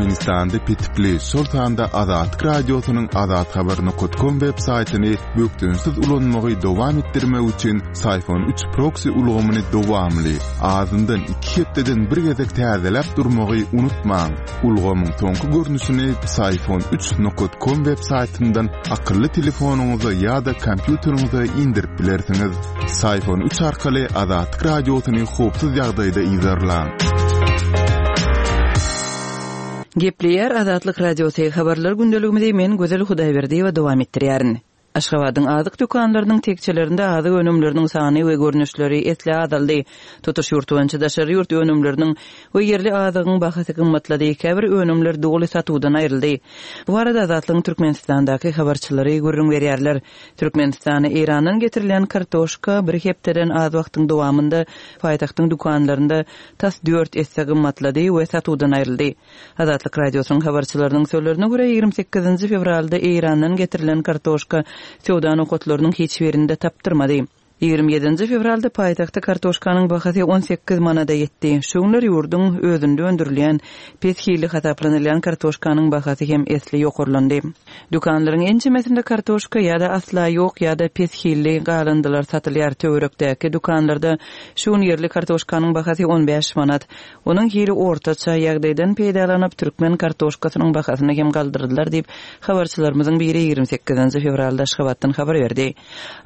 Türkmenistanda petikli, şol sanda Azatlyk Radiosynyň azathabar nokat kom web saýtyny bökdençsiz ulanmagy dowam etdirmek üçin Syfon üç proksi ulgamyny dowamly, azyndan iki hepdeden bir gezek täzeläp durmagy unutmaň. Ulgamyň soňky görnüşini Syfon üç nokat kom web saýtyndan akylly telefonyňyza ýa-da kompýuteriňize indirip bilersiňiz. Syfon üç arkaly Azatlyk Radiosyny howpsuz ýagdaýda yzarlaň. Gepleýär Azatlyk Radiosy, Habarlar gündeligimizi men Gözel Hudaýberdiýewa dowam etdirýärin. Aşgabadyň azyk dükanlarynyň tekjelerinde azyk önümleriniň sany we görnüşleri esli azaldy. Tutuş ýurt boýunça daşary ýurt önümleriniň we ýerli azygyň bahasy gymmatlady, käbir önümler doly satuwdan aýryldy. Bu barada Azatlygyň Türkmenistandaky habarçylary gürrüň berýärler. Türkmenistana Eýrandan getirilen kartoşka bir hepdeden az wagtyň dowamynda paýtagtyň dükanlarynda tas dört esse gymmatlady we satuwdan aýryldy. Azatlyk Radiosynyň habarçylarynyň sözlerine görä, 28 nji fewralda Eýrandan getirilen kartoşka söwda nokatlarynyň hiç birinde tapdyrmady. 27 nji fewralda paýtagtda kartoşkanyň bahasy 18 manada ýetdi. Şu günler ýurduň özünde öndürilýän, pes hilli hasaplanylýan kartoşkanyň bahasy hem esli ýokarlandy. Dükanlaryň ençemesinde kartoşka ýa-da asla ýok ýa-da pes hilli galyndylar satylýar. Töwerekdäki dükanlarda şu gün ýerli kartoşkanyň bahasy 15 manat. Onuň hili ortaça, ýagdaýdan peýdalanyp, türkmen kartoşkasynyň bahasyny hem galdyrdylar diýip, habarçylarymyzyň biri 28 nji fewralda Aşgabatdan habar berdi.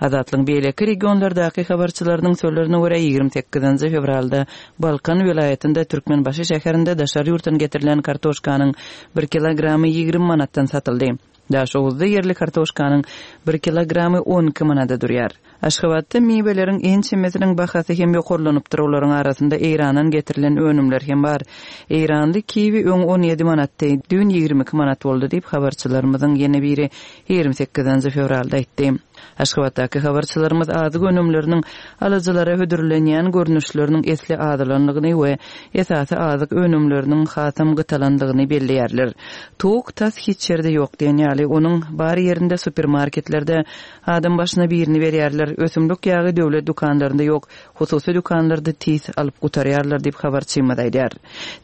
Azatlygyň beýleki regionlardaky habarçylarynyň sözlerine görä, 28 nji fewralda Balkan welaýatynda Türkmenbaşy şäherinde daşary ýurtdan getirilen kartoşkanyň bir kilogramy 20 manatdan satyldy. Daşoguzda ýerli kartoşkanyň bir kilogramy 12 manada durýar. Aşgabatda miweleriň ençemesiniň bahasy hem ýokarlanypdyr, olaryň arasynda Eýrandan getirilen önümler hem bar. Eýranly kiwi öň 17 manatdy, düýn 22 manat boldy diýip, habarçylarymyzyň ýene biri 28 fewralda aýtdy. Aşgabatdaky habarçylarymyz azyk önümleriniň alyjylara hödürlenýän görnüşleriniň esli azalandygyny we esasy azyk önümleriniň hasam gytalandygyny belleýärler. Towuk tas hiç ýerde ýok diýen ýaly, onuň bar ýerinde supermarketlerde Adam başyna birini berýärler. Ösümlik ýagy döwlet dükanlarynda ýok, hususy dükanlarda tiz alyp gutarýarlar diýip, habarçymyz aýdýar.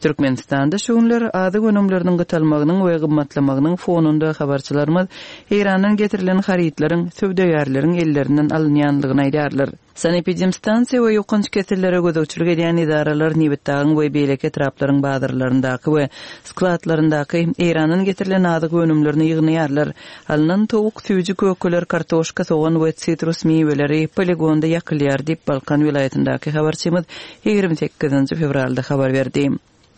Türkmenistanda şu günler azyk önümleriniň gytalmagynyň we gymmatlamagynyň fonunda habarçylarymyz Eýrandan getirilen harytlaryň söwdagärleriň ellerinden alynýanlygyny aýdýarlar. Sanepidemstansiýa we ýokanç kesellere gözegçilik edýän edaralar Nebitdagyň we beýleki etraplaryň bazarlaryndaky we skladlaryndaky Eýrandan getirilen azyk önümlerini ýygnaýarlar. Alnan towuk, süýji kökeler, kartoşka, sogan we sitrus miweleri poligonda ýakylýar diýip, Balkan welaýatyndaky habarçymyz 28 fewralda habar berdi.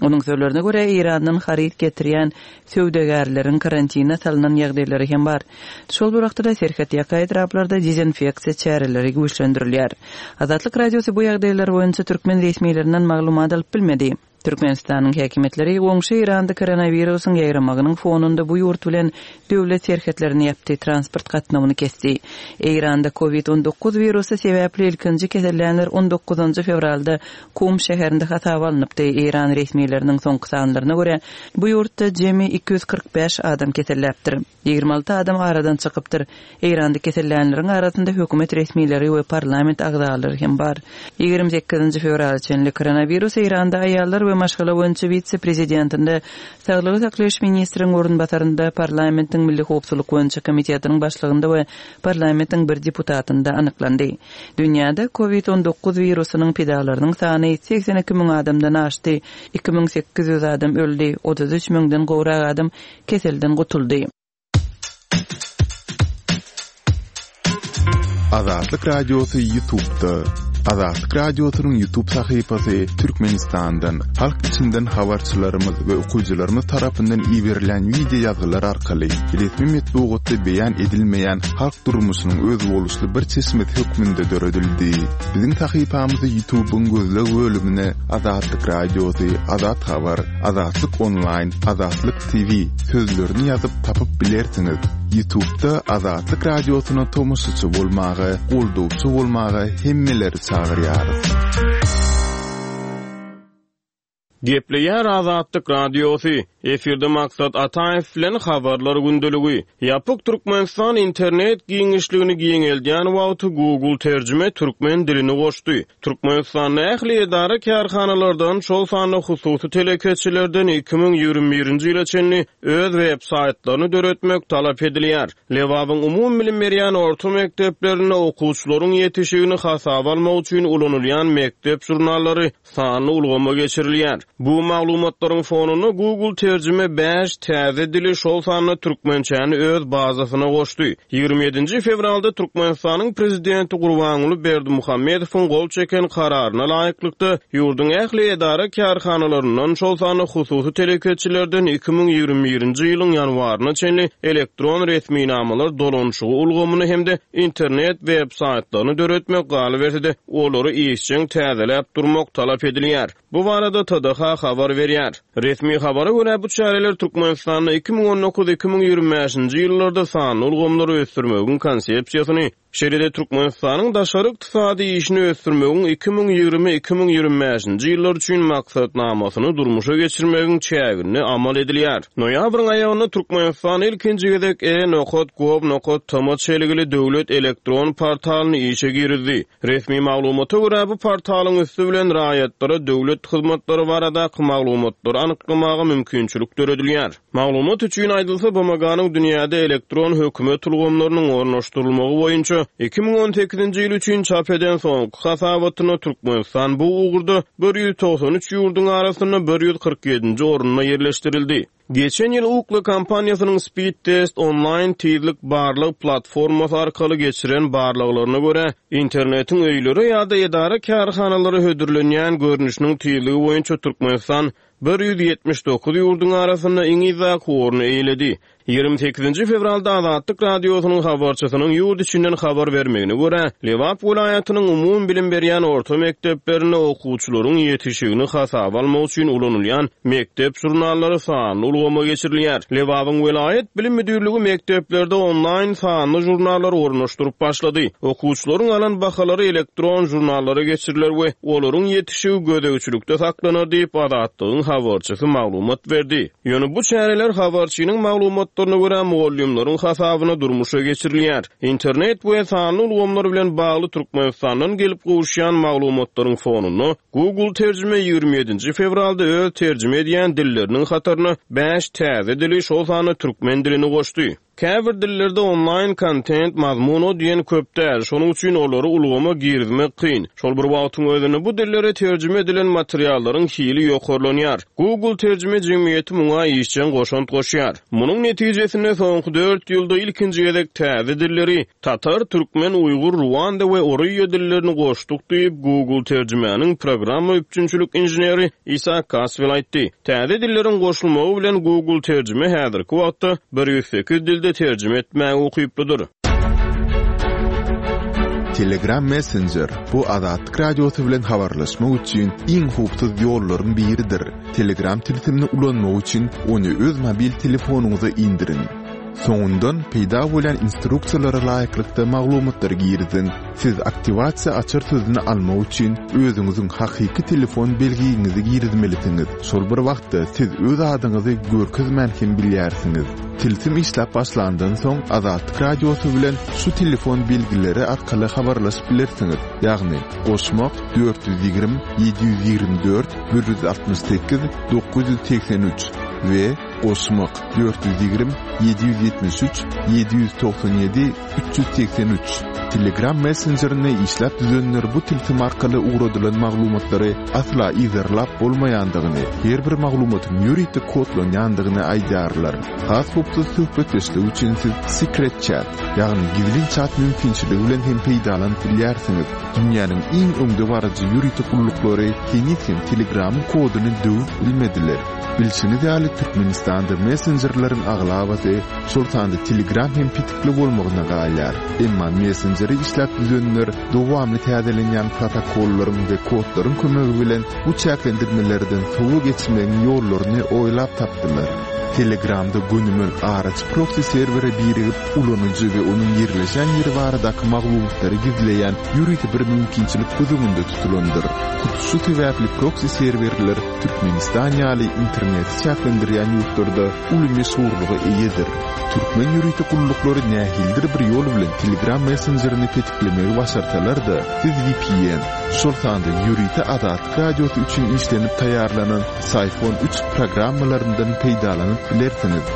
Onuň sözlerine görä, Eýrandan haryt getirýän söwdagärleriň karantine salnan ýagdaýlary hem bar. Şol bir wagtda-da, serhetýaka etraplarda dezinfeksiýa çäreleri güýçlendirilýär. Azatlyk Radiosy bu ýagdaýlar boýunça türkmen resmilerinden maglumat alyp bilmedi. Türkmenistanyň häkimiýetleri goňşy Eýranda koronawirusyň ýaýramagynyň fonunda bu ýurt bilen döwlet serhetlerini ýapdy, transport gatnawyny kesdi. Eýranda Covid 19 wirusy sebäpli ilkinji kesellänler on dokuzynjy fewralda Kum şäherinde hasaba alnypdy. Eýran resmileriniň soňky sanlaryna görä, bu ýurtda jemi 245 adam keselläpdir. 26 adam aradan çykypdyr. Eýranda kesellänleriň arasynda hökümet resmileri we parlament agzalary hem bar. 28-nji fewrala çenli koronawirus Eýranda aýallar we maşgala boýunça wise-prezidentinde, saglygy saklaýyş ministriň orunbasarynda, parlamentiň milli howpsuzlyk boýunça komitetiniň başlygynda we parlamentiň bir deputatynda anyklandy. Dünýäde Covid 19 wirusynyň pidalarynyň sany 82 müň adamdan aşdy, 2800 adam öldi, 33 müňden gowrak adam keselden gutuldy. Azatlyk Radiosy Ýutubda Azatlyk Radiosynyň Ýutub sahypasy Türkmenistandan, halk içinden habarçylarymyz we okyjylarymyz tarapyndan iberilen wideo ýazgylar arkaly resmi metbugatda beýan edilmeýän halk durmuşynyň özboluşly bir çeşmesi hökmünde döredildi. Biziň sahypamyzy Ýutubyň gözleg bölümine Azatlyk Radiosy, Azat Habar, Azatlyk Onlaýn, Azatlyk TV sözlerini ýazyp tapyp bilersiňiz. Ýutubda Azatlyk Radiosyna tomaşaçy bolmaga, goldawçy bolmaga hemmeleri çagyrýarys. Gepleýär Azatlyk Radiosy, Efirde Maksat Ataýew bilen Habarlar gündeligi. Ýapyk Türkmenistan internet giňişligini giňeldýän wagty Google terjime türkmen dilini goşdy. Türkmenistanda ähli edara-kärhanalardan, şol sanda hususy telekeçilerden 2021-nji ýyla çenli öz web-saýtlaryny döretmek talap edilýär. Lebabyň umumybilim berýän orta mekdeplerinde okuwçylaryň ýetişigini hasaba almak üçin ulanylýan mekdep žurnallary sanly ulgama geçirilýär. Bu maglumatlaryň fonunda Google terjime bäş täze dili, şol sanda türkmençäni öz bazasyna goşdy. 27-nji fewralda Türkmenistanyň Prezidenti Gurbanguly Berdimuhamedowyň gol çeken Kararyna laýyklykda, ýurduň ähli edara-kärhanalaryndan, şol sanda hususy telekeçilerden 2021-nji ýylyň ýanwaryna çenli elektron resminamalar dolanyşygy ulgamyny hem-de internet web-saýtlaryny döretmek, galyberse-de, olary işjeň täzeläp durmak talap edilýär. Bu barada TDH habar berýär. Resmi habara görä, bu çäreler Türkmenistanda 2019, 2025-nji ýyllarda sanly ulgamlary ösdürmegiň Konsepsiýasyny, şeýle-de Türkmenistanyň daşary ykdysady işini ösdürmegiň 2020, 2025-nji ýyllar üçin Maksatnamasyny durmuşa geçirmegiň çäginde amal edilýär. Noýabryň aýagynda Türkmenistan ilkinji gezek e-nokat gov nokat tm çelgili döwlet elektron portalyny işe girizdi. Resmi maglumata görä, bu portalyň üsti bilen raýatlara döwlet hyzmatlary baradaky maglumatlary anyklamaga mümkinçilik döredilýär. Maglumat üçin aýdylsa, BMG-niň dünýäde elektron hökümet ulgamlarynyň ornaşdyrylmagy boýunça 2018-nji ýyl üçin çap eden soňky hasabatynda Türkmenistan bu ugurda 193 ýurduň arasynda 147-nji orunda ýerleşdirildi. Geçen ýyl Ookla kompaniýasynyň Speedtest onlaýn tizlik barlag platformasy arkaly geçiren barlaglaryna görä, internetiň öýlere ýa-da edara-kärhanalara hödürlenýän görnüşiniň tizligi boýunça Türkmenistan 179 ýurduň arasynda iň yzdaky orny eýeledi. 28-nji fewralda Azatlyk Radiosynyň habarçysynyň ýurt içinden habar bermegine görä, Lebap welaýatynyň umumybilim berýän orta mekdeplerinde okuwçylaryň ýetişigini hasaba almak üçin ulanylýan mekdep žurnallary sanly ulgama geçirilýär. Lebabyň welaýat bilim müdirligi mekdeplerde onlaýn sanly žurnallary ornaşdyryp başlady. Okuwçylaryň alan bahalary elektron žurnallara geçiriler we olaryň ýetişigi gözegçilikde saklanar diýip, Azatlygyň habarçysy maglumat berdi. Ýöne bu çäreler habarçynyň maglumatlaryna görä, mugallymlaryň hasabyna durmuşa geçirilýär. Internet we sanly ulgamlar bilen bagly Türkmenistandan gelip gowuşýan maglumatlaryň fonunda, Google terjime 27-nji fewralda öz terjime edýän dilleriniň hataryna bäş täze dili, şol sanda türkmen dilini goşdy. Käbir dillerde onlaýn kontent mazmun o diýen köp däl, şonuň üçin olary ulgama girizmek kyn. Şol bir wagtyň özünde bu dillere terjime edilen materiallaryň hili ýokarlanýar. Google terjime jemgyýeti muňa işjeň goşant goşýar. Munuň netijesinde soňky dört ýylda ilkinji gezek täze dilleri, tatar, türkmen, uýgur, ruanda we oryýa dillerini goşduk diýip, Google terjimäniň programma üpjünçilik inženeri Isa Kaswel aýtdy. Täze dilleriň goşulmagy bilen Google terjime häzirki wagtda 108 dilde terjime etmäge ukyplydyr. Telegram Messenger, bu Azatlyk Radiosy bilen habarlaşmak üçin iň howpsuz ýollaryň biridir. Telegram tilsimini ulanmak üçin ony öz mobil telefonyňyza indiriň. Soňundan peýda bolýan instruksiýalara laýyklykda maglumatlary giriziň. Siz aktiwasiýa açar sözüni almak üçin özüňiziň hakyky telefon belgiňizi girizmelisiňiz. Şol bir wagtda siz öz adyňyzy görkezmän hem bilýärsiňiz. Tilsim işläp başlandan soň Azatlyk Radiosy bilen şu telefon belgileri arkaly habarlaşyp bilersiňiz, ýagny, goşmak, 420 724 168 983 we goşmak, 420 773 797 383. Telegram messenjerini işläp düzenler bu tilsim arkaly ugradylan maglumatlary asla yzarlap bolmaýandygyny, her bir maglumatyň ýörite kodlanýandygyny aýdýarlar. Has howpsuz söhbetdeşlik üçin siz Secret Chat, ýagny gizlin çat mümkinçiligi bilen hem peýdalanyp bilýärsiňiz. Dünýäniň iň öňdebaryjy ýörite gulluklary heniz hem Telegramyň koduny döwüp bilmediler. Bilşiňiz ýaly, Türkmenistan. Türkmenistanda messenjerleriň aglabasy, şol sanda Telegram hem petikli bolmagyna galýar. Emma messenjeri işläp düzenler dowamly täzelenýän protokollaryň we kodlaryň kömegi bilen bu çäklendirmelerden sowa geçmegiň ýollaryny oýlap tapdylar. Telegramda gönümel araçy proksi serwere birigip, ulanyjy we onuň ýerleşen ýeri baradaky maglumatlary gizleýän ýörite bir mümkinçilik göz öňünde tutulandyr. Hut şu sebäpli proksi serwerler Türkmenistan ýaly interneti çäklendirýän ýurtlarda uly meşhurlyga eýedir. Türkmen ýörite gulluklary nähilidir bir ýol bilen Telegram messenjerini petiklemegi başarsalar-da, siz vpn, şol sanda ýörite Azatlyk Radiosy üçin işlenip taýýarlanan Syphon üç programmalaryndan peýdalanyp bilersiňiz.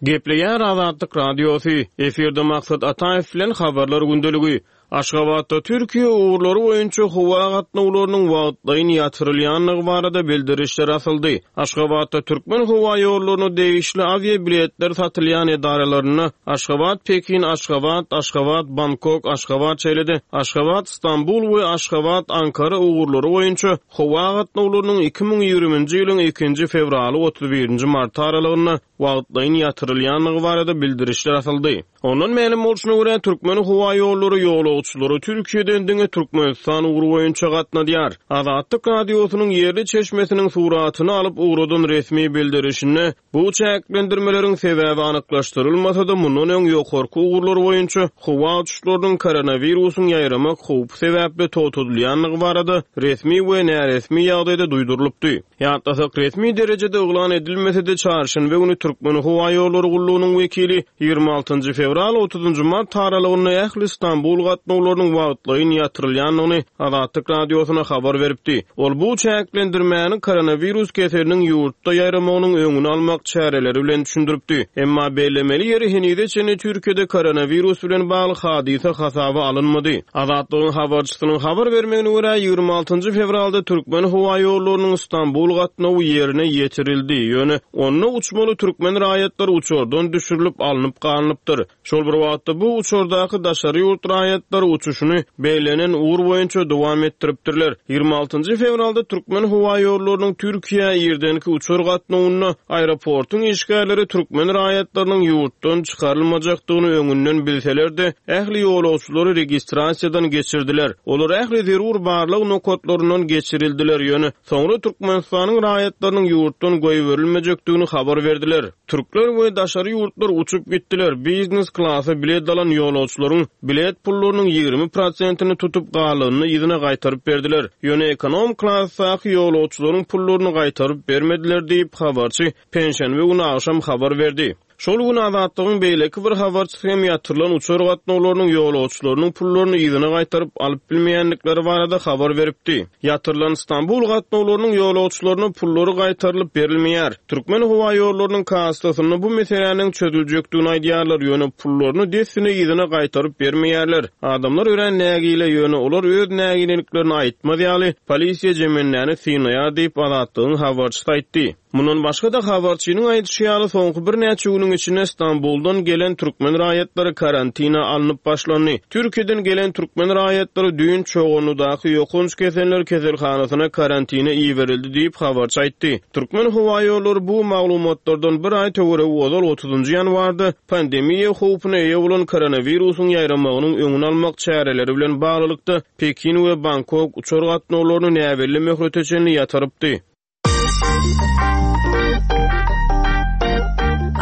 Gepleýär Azatlyk Radiosy, efirde Maksat Ataýew bilen Habarlar gündeligi. Aşgabatda Türkiýe ugurlary boýunça howa gatnawlarynyň wagtlaýyn ýatyrylýandygy barada bildirişler asyldy. Aşgabatda Türkmenhowaýollaryna degişli awiabiletler satylýan edaralarynda Aşgabat, Pekin, Aşgabat, Aşgabat, Bangkok, Aşgabat, şeýle-de Aşgabat, Stambul we Aşgabat, Ankara ugurlary boýunça howa gatnawlarynyň 2020-nji ýylyň ikinji fewraly 31-nji marty aralygynda wagtlaýyn ýatyrylýandygy barada bildirişler asyldy. Ondan mälim bolşuna görä, Türkmenhowaýollary ýolagçylary Türkiýeden diňe Türkmenistan ugry boýunça gatnadýar. Azatlyk Radiosynyň ýerli çeşmesiniň suratyny alyp ugradan resmi bildirişinde bu çäklendirmeleriň sebäbi anyklaşdyrylmasa-da, mundan öň ýokarky ugurlar boýunça howa uçuşlarynyň koronawirusyň ýaýramak howpy sebäpli togtadylýandygy barada resmi we näresmi ýagdaýda duýdurylypdy. Ýatlasak, resmi derejede yglan edilmese-de, çarşenbe güni Türkmenhowaýollary gullugynyň wekili 26 fewral, 30 mart aralygynda ähli Stambul gatnawlarynyň wagtlaýyn ýatyrylýandygyny Azatlyk Radiosyna habar beripdi. Ol bu çäklendirmäni koronawirus keseliniň ýurtda ýaýramagynyň öňüni almak çäreleri bilen düşündiripdi. Emma bellemeli ýeri, henize çenli Türkiýede koronawirus bilen bagly hadysa hasaba alynmady. Azatlygyň habarçysynyň habar bermegine görä, 26 fewralda Türkmenhowaýollarynyň Stambul gatnawy ýerine ýetirildi, ýöne onda uçmaly türkmen raýatlary uçardan düşürilip alnyp galnypdyr. Şol bir wagtda, bu uçardaky daşary ýurt raýatlary uçuşyny bellenen ugur boýunça dowam etdiripdirler. 26 fewralda Türkmenhowaýollarynyň Türkiýä irdenki uçar gatnawynda aeroportuň işgärleri türkmen raýatlarynyň ýurtdan çykarylmajakdygyny öňünden bilseler-de, ähli ýolagçylary registrasiýadan geçirdiler. Olar ähli zerur barlag nokatlaryndan geçirildiler, ýöne soňra Türkmenistanyň raýatlarynyň ýurtdan goýberilmejekdigini habar berdiler. Türkler we daşary ýurtlar uçup gitdiler, biznes klasa bilet alan ýolagçylaryň bilet pullarynyň 20 prosentini tutup, galanyny yzyna gaýtaryp berdiler. Ýöne ekonom klasdaky ýolagçylaryň pullaryny gaýtaryp bermediler diýip, habarçy penşenbe güni agşam habar berdi. Şol gün Azatlygyň beýleki bir habarçysy hem ýatyrylan uçar gatnawlarynyň ýolagçylarynyň pullaryny yzyna gaýtaryp alyp bilmeýändikleri barada habar beripdi. Ýatyrylan Stambul gatnawlarynyň ýolagçylaryna pullary gaýtarylyp berilmeýär. Türkmenhowaýollarynyň kassasynda bu meseläniň çözüljekdigini aýdýarlar, ýöne pullaryny dessine yzyna gaýtaryp bermeýärler. Adamlar örän nägile, ýöne olar öz nägileliklerini aýtmaz ýaly, polisiýa jemendäni synaýar diýip, Azatlygyň habarçysy aýtdy. Mundan başga-da, habarçynyň aýdyşy ýaly, soňky birnäçe günüň içinde Stambuldan gelen türkmen raýatlary karantina alnyp başlandy. Türkiýeden gelen türkmen raýatlary düýn Çoganlydaky ýokanç keseller keselhanasyna karantina iberildi diýip, habarçy aýtdy. Türkmenhowaýollary bu maglumatlardan bir aý töweregi ozal, otuzynjy ýanwarda pandemiýa howpuna eýe bolan koronawirusyň ýaýramagynyň öňüni almak çäreleri bilen baglylykda, Pekin we Bangkok uçar gatnawlaryny näbelli möhlete çenli ýatyrypdy.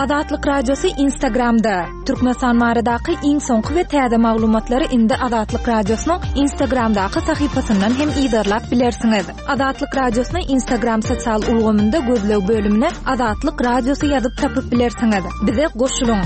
Azatlyk Radiosy Instagramda. Türkmenistan baradaky iň soňky we täze maglumatlary indi Azatlyk Radiosynyň Instagramdaky sahypasyndan hem yzarlap bilersiňiz. Azatlyk Radiosyny Instagram sosial ulgamynda gözleg bölümine Azatlyk Radiosy ýazyp tapyp bilersiňiz. Bize goşulyň!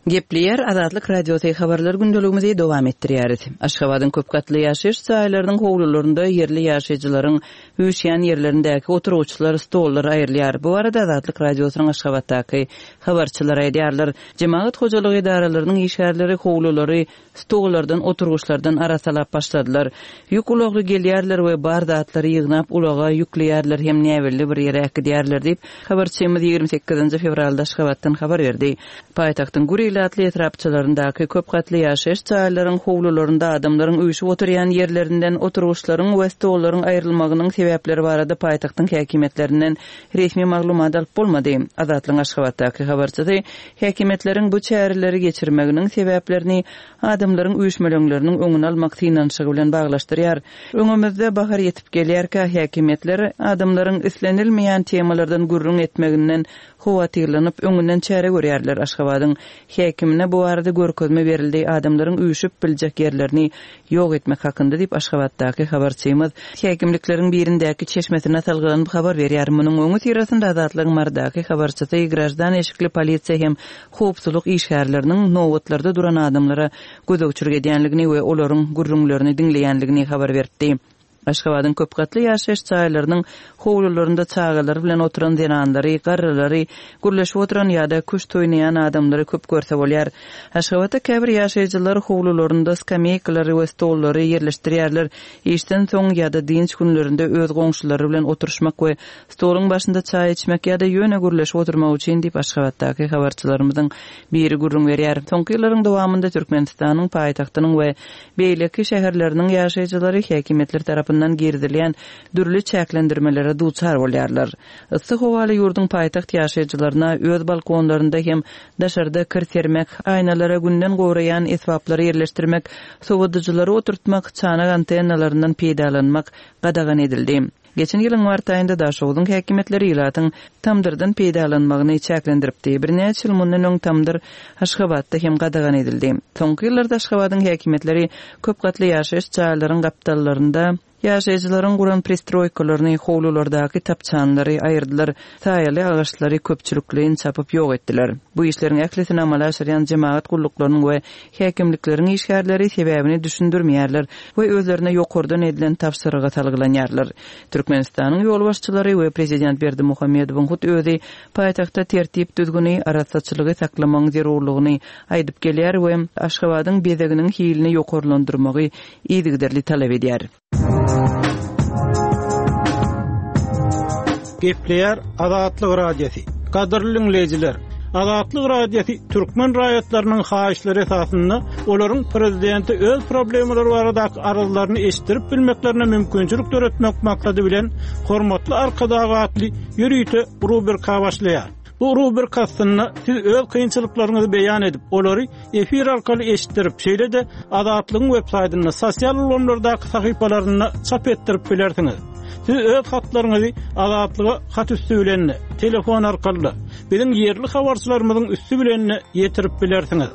Gepleýär Azatlyk Radiosy Habarlar gündeligimizi dowam etdirýäris. Aşgabadyň köp gatly ýaşaýyş jaýlarynyň howlularynda ýerli ýaşaýjylaryň üýşýän ýerlerindäki oturgyçlar, stollar aýrylýar. Bu barada Azatlyk Radiosynyň Aşgabatdaky habarçylary aýdýarlar. Jemagat hojalygy edaralarynyň işgärleri howlulary stollardan, oturgyçlardan arassalap başladylar. Ýük ulagly gelýärler we bar zatlary ýygnap ulaga ýükleýärler hem näbelli bir ýere äkidýärler diýip, habarçymyz 28 fewralda Aşgabatdan habar berdi. Paýtagtyň gür. ilatly etrapçalaryndaky köp gatly ýaşaýyş jaýlaryň howlularynda adamlaryň üýşüp oturýan ýerlerinden oturgyçlaryň we stollaryň aýrylmagynyň sebäpleri barada paýtagtyň häkimiýetlerinden resmi maglumat alyp bolmady. Azatlygyň Aşgabatdaky habarçysy häkimiýetleriň bu çäreleri geçirmeginiň sebäplerini adamlaryň üýşmeleňleriniň öňüni almak synanyşygy bilen baglaşdyrýar. Öňümizde bahar ýetip gelýärkä, häkimiýetler adamlaryň islenilmeýän temalardan gürrüň etmeginden howatyrlanyp, öňünden çäre görýärler. Aşgabadyň häkimine bu barada görkezme berildi, adamlaryň üýşüp biljek ýerlerini ýok etmek hakynda diýip, Aşgabatdaky habarçymyz häkimlikleriň birindäki çeşmesine salgylanyp habar berýär. Munuň öňüsyrasynda Azatlygyň Marydaky habarçysy graždan eşikli polisiýa hem howpsuzlyk işgärleriniň nobatlarda duran adamlara gözegçilik edýänligini we olaryň gürrüňlerini diňleýänligini habar beripdi. Aşgabadyň köp gatly ýaşaýyş jaýlarynyň howlularynda çagalary bilen oturan zenanlary, garrylary, gürleşip oturan ýa-da küşt oýnaýan adamlary köp görse bolýar. Aşgabatda käbir ýaşaýjylar howlularynda skameýkalary we stollary ýerleşdirýärler, işden soň ýa-da dynç günlerinde öz goňşulary bilen oturyşmak we stoluň başynda çaý içmek ýa-da ýöne gürleşip oturmak üçin diýip, Aşgabatdaky habarçylarymyzyň biri gürrüň berýär. Soňky ýyllaryň dowamynda Türkmenistanyň paýtagtynyň we beýleki şäherleriniň ýaşaýjylary häkimiýetler tarapyndan girizilýän dürli çäklendirmelere duçar bolýarlar. Yssy howaly ýurduň paýtagt ýaşaýjylaryna öz balkonlarynda hem daşarda kir sermek, aýnalara günden goraýan esbaplary ýerleşdirmek, sowadyjylary oturtmak, çanak antennalaryndan peýdalanmak gadagan edildi. Geçen ýylyň mart aýynda Daşogzuň häkimiýetleri ilatyň tamdyrdan peýdalanmagyny çäklendiripdi. Birnäçe ýyl mundan öň tamdyr Aşgabatda hem gadagan edildi. Soňky ýyllarda Aşgabadyň häkimiýetleri köp gatly ýaşaýyş jaýlaryň gapdallarynda ýaşaýjylaryň guran pristroýkalaryny, howlulardaky tapçanlary aýyrdylar, saýaly agaçlary köpçülikleýin çapyp ýok etdiler. Bu işleriň ählisini amala aşyrýan jemagat gulluklarynyň we Häkimlikleriň işgärleri sebäbini düşündirmeýärler we özlerine ýokardan edilen tabşyryga salgylanýarlar. Türkmenistanyň ýolbaşçylary we prezident Berdimuhamedowyň hut özi paýtagtda tertip-düzgüni, arassaçylygy saklamagyň zerurlygyny aýdyp gelýär we Aşgabadyň bezeginiň hilini ýokarlandyrmagy yzygiderli talap edýär. Gepleýär Azatlyk Radiosy. Gadyrly diňleýjiler, Azatlyk Radiosy türkmen raýatlarynyň haýyşlary esasynda olaryň prezidente öz problemalary baradaky arzlaryny eşitdirip bilmeklerine mümkinçilik döretmek maksady bilen Hormatly Arkadag atly ýörite rubrika başlaýar. Bu rubrika astynda siz öz kynçylyklaryňyzy beýan edip, olary efir arkaly eşitdirip, şeýle-de Azatlygyň websaýtynda, sosial ulgamlardaky sahypalarynda çap etdirip bilersiňiz. Siz öz hatlaryňyzy Azatlyga hat üsti bilen-de, telefon arkaly-da, biziň ýerli habarçylarymyzyň üsti bilen-de ýetirip bilersiňiz.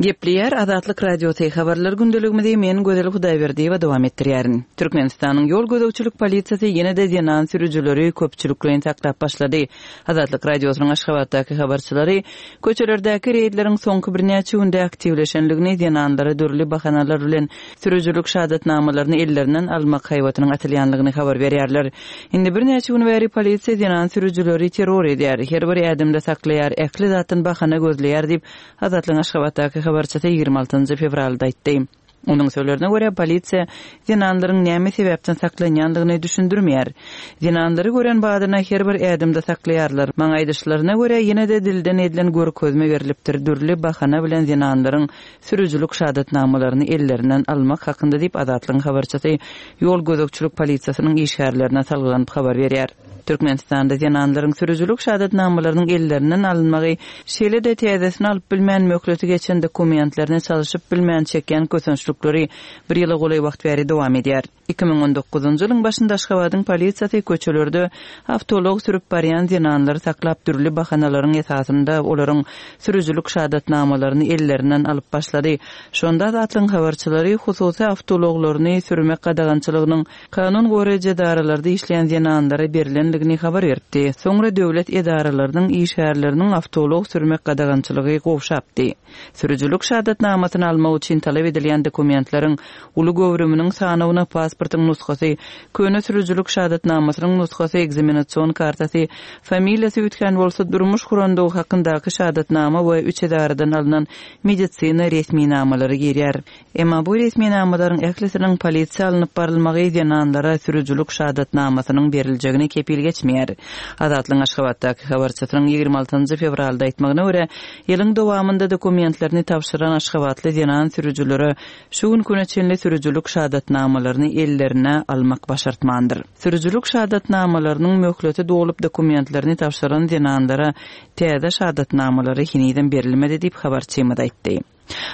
Gepleýär Azatlyk Radiosy, Habarlar gündeligimizi men Gözel Hudaýberdiýewa dowam etdirýärin. Türkmenistanyň ýol gözegçilik polisiýasy ýene-de zenan sürüjileri köpçülikleýin saklap başlady. Azatlyk Radiosynyň Aşgabatdaky habarçylary köçelerdäki reýdleriň soňky birnäçe günde aktiwleşenligini, zenanlara dürli bahanalar bilen sürüjilik şahadatnamalaryny ellerinden almak haýbatynyň atylýanlygyny habar berýärler. Indi birnäçe gün bäri polisiýa zenan sürüjileri terror edýär, her bir ädimde saklaýar, ähli zatdan bahana gözleýär diýip, Azatlygyň Aşgabatdaky habarçysy 26 fewralda aýtdy. Onuň sözlerine görä, polisiýa zenanlaryň näme sebäpden saklanýandygyny düşündirmeýär. Zenanlary gören badyna her bir ädimde saklaýarlar. Maňa aýdyşlaryna görä, ýene-de dilden edilen görkezme berlipdir, dürli bahana bilen zenanlaryň sürüjilik şahadatnamalaryny ellerinden almak hakynda diýip, Azatlygyň habarçysy ýol gözegçilik polisiýasynyň işgärlerine salgylanyp habar berýär. Türkmenistanda zenanlaryň sürüjilik şahadatnamalarynyň ellerinden alynmagy, şeýle-de täzesini alyp bilmän möhleti geçen dokumentlerini çalşyp bilmän çekýän kösençlikleri bir ýyla golaý wagt bäri dowam edýär. 2019-njy ýylyň başynda Aşgabadyň polisiýasy köçelerde awtoulag sürüp barýan zenanlary saklap dürli bahanalaryň esasynda olaryň sürüjilik şahadatnamalaryny ellerinden alyp başlady. Şonda Azatlygyň habarçylary hususy awtoulaglaryny sürmek gadagançylygynyň Kanun goraýjy edaralarda işleýän zenanlara berlendigini habar beripdi. Soňra döwlet edaralarynyň işgärleriniň awtoulag sürmek gadagançylygy gowşapdy. Sürüjilik şahadatnamasyny almak üçin talap edilýän dokumentleriň uly göwrüminiň sanawyna pasportyň nusgasy, köne sürüjilik şahadatnamasynyň nusgasy, ekzamenasion kartasy, familiýasy üýtgän bolsa durmuş gurandygy hakyndaky şahadatnama we üç edaradan alnan medisina resminamalary girýär. Emma bu resminamalaryň ählisiniň polisiýa alnyp barylmagy zenanlara sürüjilik şahadatnamasynyň beriljegini kepil. geçmeýär. Azatlygyň Aşgabatdaky habarçysynyň 26 fewralda aýtmagyna görä, ýylyň dowamynda dokumentlerini tabşyran aşgabatly zenan sürüjilere şu günki güne çenli sürüjilik şahadatnamalaryny ellerine almak başartmandyr. Sürüjilik şahadatnamalarynyň möhleti dolup dokumentlerini tabşyran zenanlara täze şahadatnamalary henizem berilmedi diýip, habarçymyz aýtdy.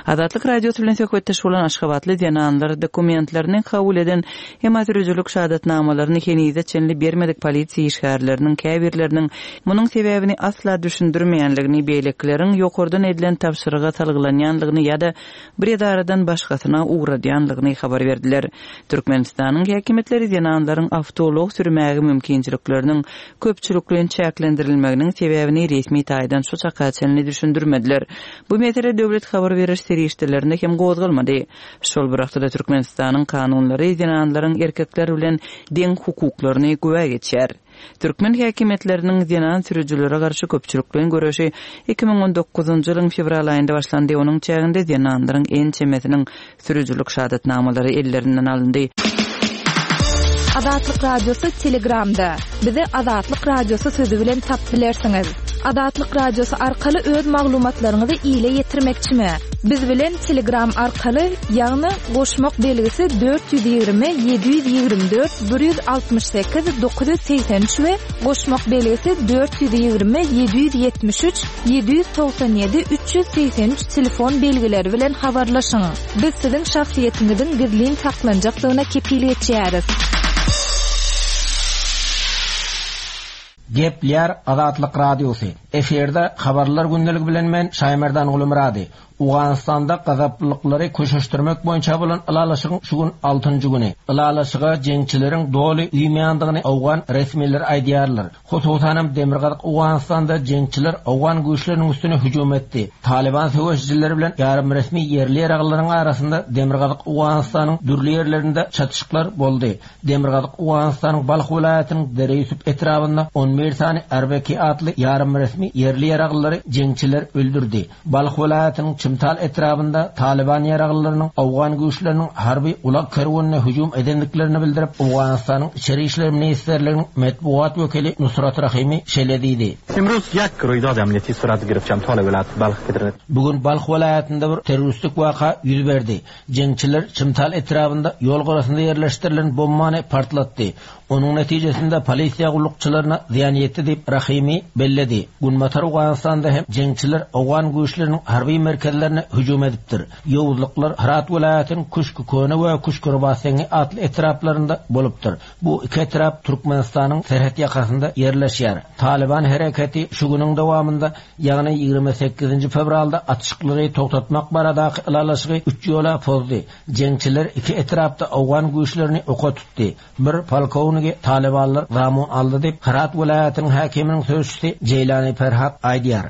Azatlyk Radiosy bilen söhbetdeş bolan aşgabatly zenanlar dokumentlerini kabul eden, emma sürüjilik şahadatnamalaryny henize çenli bermedik polisiýa işgärleriniň käbirleriniň munuň sebäbini asla düşündirmeýänligini, beýlekileriň ýokardan edilen tabşyryga salgylanýanlygyny ýa-da bir edaradan başgasyna ugradýanlygyny habar berdiler. Türkmenistanyň häkimiýetleri zenanlaryň awtoulag sürmäge mümkinçilikleriniň köpçülikleýin çäklendirilmeginiň sebäbini resmi taýdan şu çaka çenli düşündirmediler. Bu mesele döwlet habar beriş serişdelerinde hem gozgalmady. Şol bir wagtda-da Türkmenistanyň kanunlary zenanlaryň erkekler bilen deň hukuklaryny güwä geçýär. Türkmen häkimiýetleriniň zenan sürüjilere garşy köpçülikleýin göreşi 2019-njy ýylyň fewral aýynda başlandy, onuň çäginde zenanlaryň ençemesiniň sürüjilik şahadatnamalary ellerinden alyndy. Azatlyk Radiosy Telegramda. Bizi Azatlyk Radiosy sözi bilen tapyp bilersiňiz. Azatlyk Radiosy arkaly öz maglumatlaryňyzy ile ýetirmekçimi? Biz bilen Telegram arkaly, ýagny goşmak belgisi 420 724 168 983 we goşmak belgisi 420 773 797 383 telefon belgileri bilen habarlaşyň. Biz siziň şahsyýetiňiziň gizlin saklanjakdygyna kepil geçýäris. Gepleýär Azatlyk Radiosy. Efirde Habarlar gündeligi bilen men Şaýmerdan Gulumyrady. Owganystanda gazaplylyklary köşeşdirmek boýunça bolan ylalaşygyň şu gün altynjy güni. Ylalaşyga jeňçileriň doly uýmaýandygyny owgan resmileri aýdýarlar. Hususanam demirgazyk Owganystanda jeňçiler owgan güýçleriniň üstüne hüjüm etdi. Talyban söweşijileri bilen ýarymresmi ýerli ýaraglylaryň arasynda demirgazyk Owganystanyň dürli ýerlerinde çatyşyklar boldy. Demirgazyk Owganystanyň Balh welaýatynyň Dere-Ýusup etrabynda on bir sany RBK atly ýarymresmi ýerli ýaraglylary jeňçiler öldürdi. Balh welaýatynyň Çimtal etrabynda Talyban ýaraglylarynyň owgan güýçleriniň harby ulag kerwenine hüjüm edendiklerini bildirip, Owganystanyň Içeri işler ministrliginiň metbugat wekili Nusrat Rahimi şeýle diýdi. Bu gün Balh welaýatynda bir terroristik waka ýüz berdi. Jeňçiler Çimtal etrabynda ýol gyrasynda ýerleşdirilen bombany partlatdy. Onuň netijesinde polisiýa gullukçylaryna zyýan ýetdi diýip, Rahimi belledi. Günbatar Owganystanda hem jeňçiler owgan güýçleriniň harby merkezlerine hüjüm edipdir. Ýowuzlyklar Hyrat welaýatynyň Küşki-Köne we Küşki-Robatseňňi atly etraplarynda bolupdyr. Bu iki etrap Türkmenistanyň serhet ýakasynda ýerleşýär. Talyban hereketi şu günüň dowamynda, ýagny 28-nji fewralda atyşyklary togtatmak baradaky ylalaşygy üç ýola pozdy. Jeňçiler iki etrapda owgan güýçlerini oka tutdy. Bir polkownigi talybanlar zamun aldy diýip, Hyrat welaýatynyň häkiminiň sözçüsi Jeýlani Perhat aýdýar.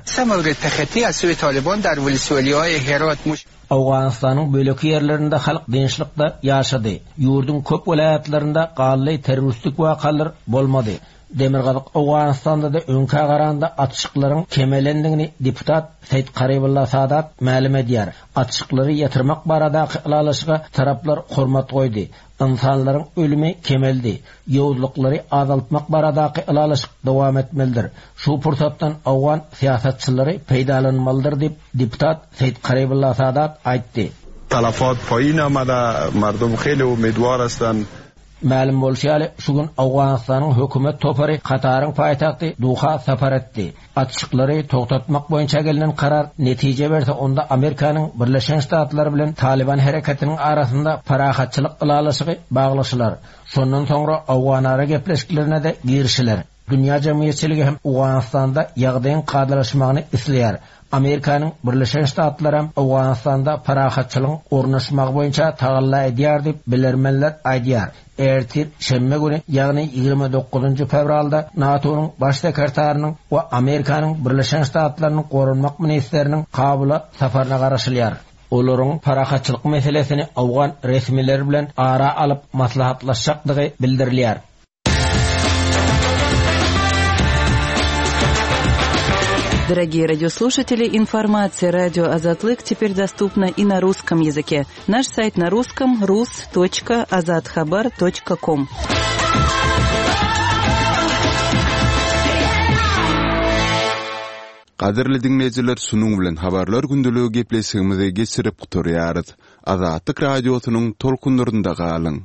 Owganystanyň beýleki ýerlerinde halk dynçlykda ýaşady. Ýurduň köp welaýatlarynda ganly terroristik wakalar bolmady. Demirgazyk Owganystanda-da öňkä garanda atyşyklaryň kemelendigini deputat Seýit Karybulla Sadat mälim edýär. Atyşyklary ýatyrmak baradaky ylalaşyga taraplar hormat goýdy. Ynsanlaryň ölümi kemeldi. Ýowuzlyklary azaltmak baradaky ylalaşyk dowam etmelidir. Şu pursatdan owgan syýasatçylary peýdalanmalydyr diýip, deputat Seýit Karybulla Sadat aýtdy. Talafat paýyn amada, mardum heli umidwar hastan. Mälim bolşy ýaly, şu gün Owganystanyň hökümet topary Kataryň paýtagty Doha sapar etdi. Atyşyklary togtatmak boýunça gelnen karar netije berse, onda Amerikanyň Birleşen Ştatlary bilen Talyban hereketiniň arasynda parahatçylyk ylalaşygy baglaşylar. Şondan soňra owganara gepleşiklerine-de girişiler. Dünýä jemgyýetçiligi hem Owganystanda ýagdaýyň kadalaşmagyny isleýär. Amerikanyň Birleşen Ştatlaram Owganystanda parahatçylygyň ornaşmagy boýunça tagalla edýär diýip, bilermenler aýdýar. Ertir, şenbe güni, ýagny 29-njy fewralda NATO-nyň Baş sekretarynyň we Amerikanyň Birleşen Ştatlarynyň goranmak ministriniň Kabula saparyna garaşylýar. Olaryň parahatçylyk meselesini owgan resmileri bilen ara alyp maslahatlaşjakdygy bildirilýär. Дорогие радиослушатели, информация радио Азатлык теперь доступна и на русском языке. Наш сайт на русском rus.azathabar.com. Gadyrly diňleýjiler şunuň bilen Habarlar gündeligi gepleşigimizi geçirip gutarýarys. Azatlyk Radiosynyň tolkunlarynda galyň!